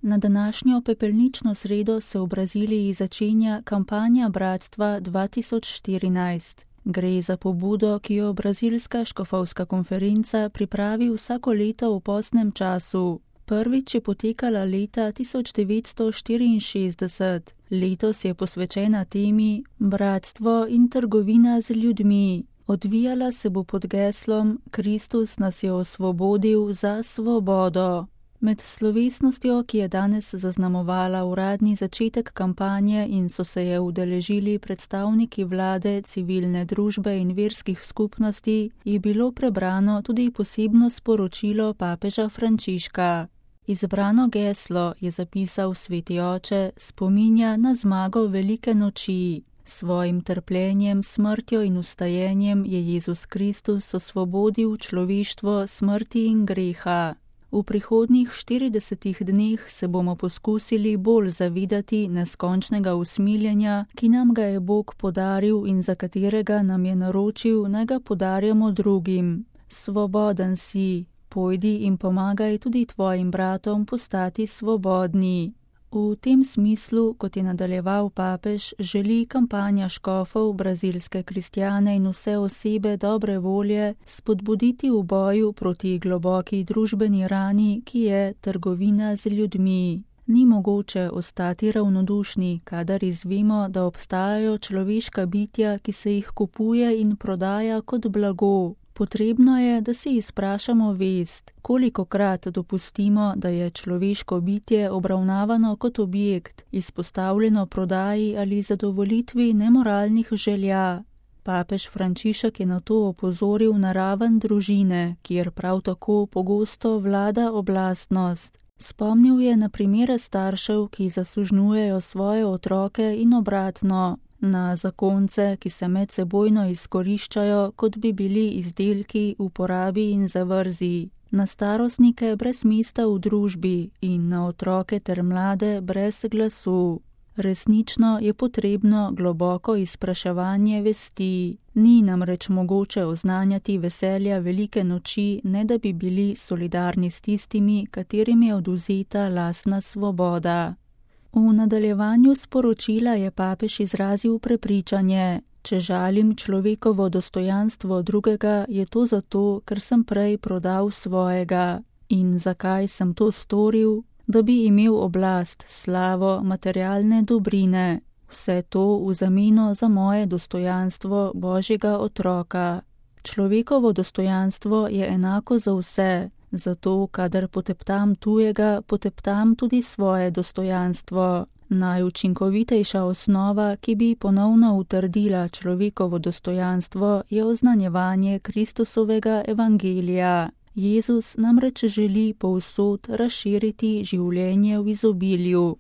Na današnjo pepelnično sredo se v Braziliji začenja kampanja Bratstva 2014. Gre za pobudo, ki jo Brazilska škofovska konferenca pripravi vsako leto v postnem času. Prvič je potekala leta 1964. Letos je posvečena temi Bratstvo in trgovina z ljudmi. Odvijala se bo pod geslom Kristus nas je osvobodil za svobodo. Med slovesnostjo, ki je danes zaznamovala uradni začetek kampanje in so se je udeležili predstavniki vlade, civilne družbe in verskih skupnosti, je bilo prebrano tudi posebno sporočilo papeža Frančiška. Izbrano geslo, je zapisal sveti oče, spominja na zmago velike noči. Svojim trpljenjem, smrtjo in vstajenjem je Jezus Kristus osvobodil človeštvo smrti in greha. V prihodnjih 40 dneh se bomo poskusili bolj zavedati neskončnega usmiljenja, ki nam ga je Bog podaril in za katerega nam je naročil, naj ga podarjamo drugim. Svoboden si, pojdi in pomagaj tudi tvojim bratom postati svobodni. V tem smislu, kot je nadaljeval papež, želi kampanja škofov, brazilske kristjane in vse osebe dobre volje spodbuditi v boju proti globoki družbeni rani, ki je trgovina z ljudmi. Ni mogoče ostati ravnodušni, kadar izvemo, da obstajajo človeška bitja, ki se jih kupuje in prodaja kot blago. Potrebno je, da si izprašamo vest, kolikokrat dopustimo, da je človeško bitje obravnavano kot objekt, izpostavljeno prodaji ali zadovoljitvi nemoralnih želja. Papež Frančišek je na to opozoril na raven družine, kjer prav tako pogosto vlada oblastnost. Spomnil je na primere staršev, ki zasužnjujejo svoje otroke in obratno. Na zakonce, ki se medsebojno izkoriščajo, kot bi bili izdelki v porabi in zavrzi, na starostnike brez mesta v družbi in na otroke ter mlade brez glasu. Resnično je potrebno globoko izpraševanje vesti. Ni namreč mogoče oznanjati veselja velike noči, ne da bi bili solidarni s tistimi, katerim je odvzeta lastna svoboda. V nadaljevanju sporočila je papež izrazil prepričanje: če žalim človekovo dostojanstvo drugega, je to zato, ker sem prej prodal svojega. In zakaj sem to storil? Da bi imel oblast, slavo, materialne dobrine. Vse to v zameno za moje dostojanstvo Božjega otroka. Človekovo dostojanstvo je enako za vse. Zato, kadar poteptam tujega, poteptam tudi svoje dostojanstvo. Najučinkovitejša osnova, ki bi ponovno utrdila človekovo dostojanstvo, je oznanjevanje Kristusovega evangelija. Jezus namreč želi povsod razširiti življenje v izobilju.